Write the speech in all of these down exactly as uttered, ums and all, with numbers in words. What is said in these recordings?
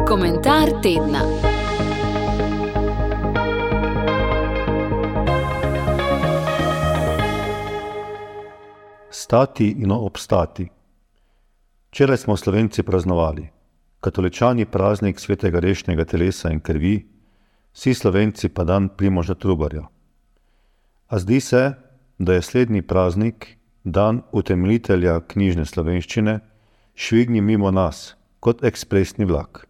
Komentar tedna. Stati in obstati. Včeraj smo Slovenci praznovali. Katoličani praznik svetega rešnega telesa in krvi, vsi Slovenci pa dan Primoža Trubarja. A zdi se, da je slednji praznik, dan utemeljitelja knjižne slovenščine, švignil mimo nas, kot ekspresni vlak.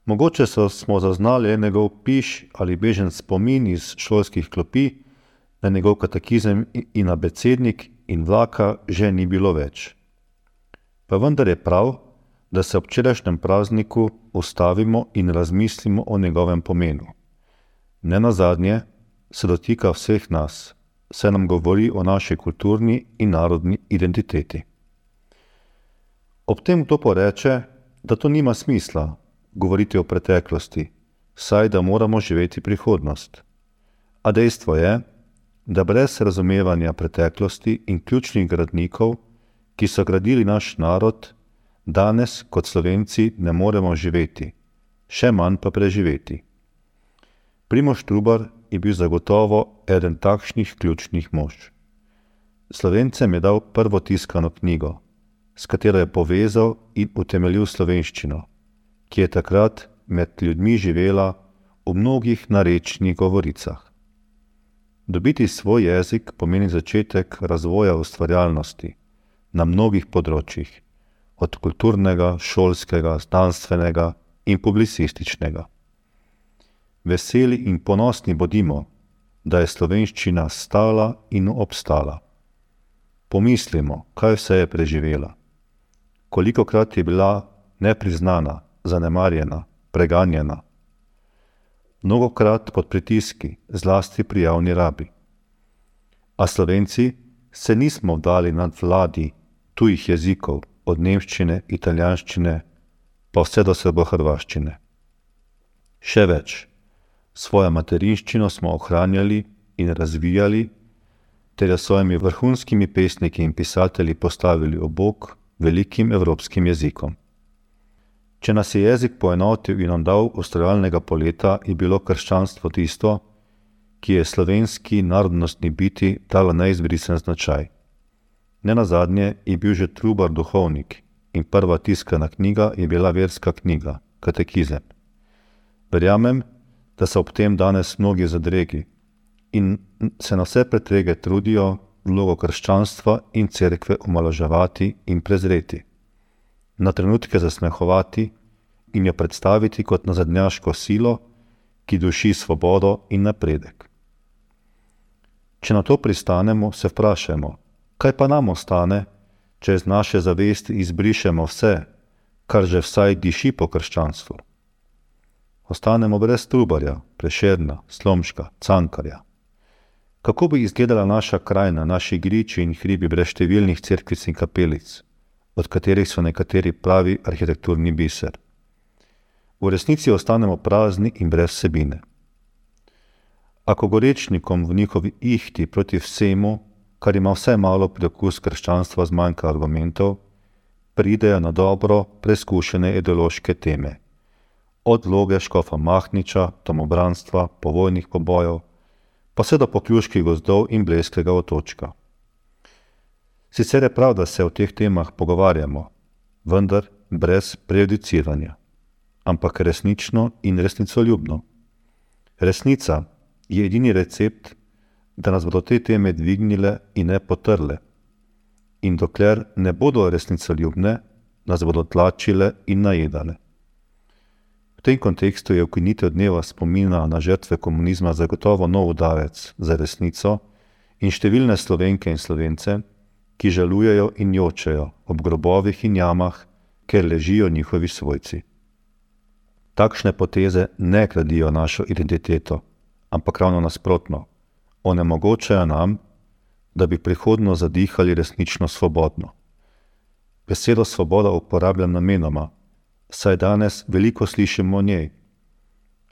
Mogoče so smo zaznali njegov piš ali bežen spomin iz šolskih klopi, na njegov katekizem in abecednik in vlaka že ni bilo več. Pa vendar je prav, da se ob včerajšnjem prazniku ustavimo in razmislimo o njegovem pomenu. Nenazadnje se dotika vseh nas, saj nam govori o naši kulturni in narodni identiteti. Ob tem kdo poreče, da to nima smisla govoriti o preteklosti, saj da moramo živeti prihodnost. A dejstvo je, da brez razumevanja preteklosti in ključnih gradnikov, ki so gradili naš narod, danes kot Slovenci ne moremo živeti, še manj pa preživeti. Primož Trubar je bil zagotovo eden takšnih ključnih mož. Slovencem je dal prvo tiskano knjigo, s katero je povezal in utemeljil slovenščino, ki je takrat med ljudmi živela v mnogih narečnih govoricah. Dobiti svoj jezik pomeni začetek razvoja ustvarjalnosti na mnogih področjih, od kulturnega, šolskega, znanstvenega in publicističnega. Veseli in ponosni bodimo, da je slovenščina stala in obstala. Pomislimo, kaj vse je preživela. Kolikokrat je bila nepriznana, zanemarjena, preganjena. Mnogokrat pod pritiski, zlasti pri javni rabi. A Slovenci se nismo vdali nad vladi tujih jezikov, od nemščine, italijanščine, pa vse do srbohrvaščine. Še več, svojo materinščino smo ohranjali in razvijali, ter jo s svojimi vrhunskimi pesniki in pisatelji postavili ob bok velikim evropskim jezikom. Če nas je jezik poenotil in nam dal ustvarjalnega poleta, je bilo krščanstvo tisto, ki je slovenski narodnostni biti dalo neizbrisen značaj. Nenazadnje je bil že Trubar duhovnik in prva tiskana knjiga je bila verska knjiga, katekizem. Verjamem, da so ob tem danes mnogi zadregi in se na vse pretrege trudijo vlogo krščanstva in cerkve omalovaževati in prezreti, na trenutke zasmehovati in jo predstaviti kot nazadnjaško silo, ki duši svobodo in napredek. Če na to pristanemo, se vprašajmo, kaj pa nam ostane, če iz naše zavesti izbrišemo vse, kar že vsaj diši po krščanstvu. Ostanemo brez Trubarja, Prešerna, Slomška, Cankarja. Kako bi izgledala naša krajina, naši griči in hribi brez številnih cerkvic in kapelic, od katerih so nekateri pravi arhitekturni biser? V resnici ostanemo prazni in brez vsebine. Ako gorečnikom v njihovi ihti proti vsemu, kar ima vse malo priokus krščanstva zmanjka argumentov, pridejo na dobro preskušene ideološke teme, od vloge škofa Mahniča, domobranstva, povojnih pobojev, pa vse do pokljuških gozdov in Blejskega otočka. Sicer je prav, da se o teh temah pogovarjamo, vendar brez prejudiciranja, ampak resnično in resnicoljubno. Resnica je edini recept, da nas bodo te teme dvignile in ne potrle. In dokler ne bodo resnicoljubne, nas bodo tlačile in najedale. V tem kontekstu je ukinitev dneva spomina na žrtve komunizma zagotovo nov udarec za resnico in številne Slovenke in Slovence, ki žalujejo in jočejo ob grobovih in jamah, ker ležijo njihovi svojci. Takšne poteze ne gradijo našo identiteto, ampak ravno nasprotno, onemogočajo nam, da bi prihodno zadihali resnično svobodno. Besedo svoboda uporabljam namenoma, saj danes veliko slišimo o njej.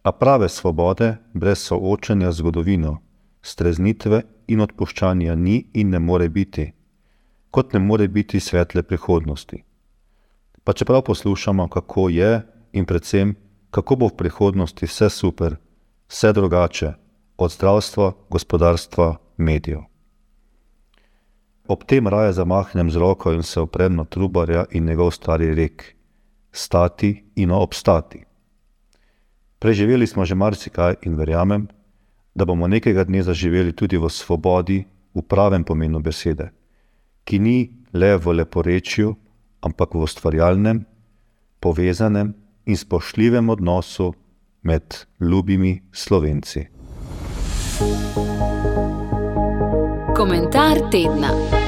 A prave svobode brez soočanja z zgodovino, streznitve in odpuščanja ni in ne more biti, kot ne more biti svetle prihodnosti. pa čeprav poslušamo, kako je in predvsem, kako bo v prihodnosti vse super, vse drugače, od zdravstva, gospodarstva, medijev. Ob tem raje zamahnem z roko in se oprem na Trubarja in njegov stari rek: stati in obstati. Preživeli smo že marsikaj in verjamem, da bomo nekega dne zaživeli tudi v svobodi v pravem pomenu besede, ki ni le v leporečju, ampak v ustvarjalnem, povezanem in spoštljivem odnosu med ljubimi Slovenci. Komentar tedna.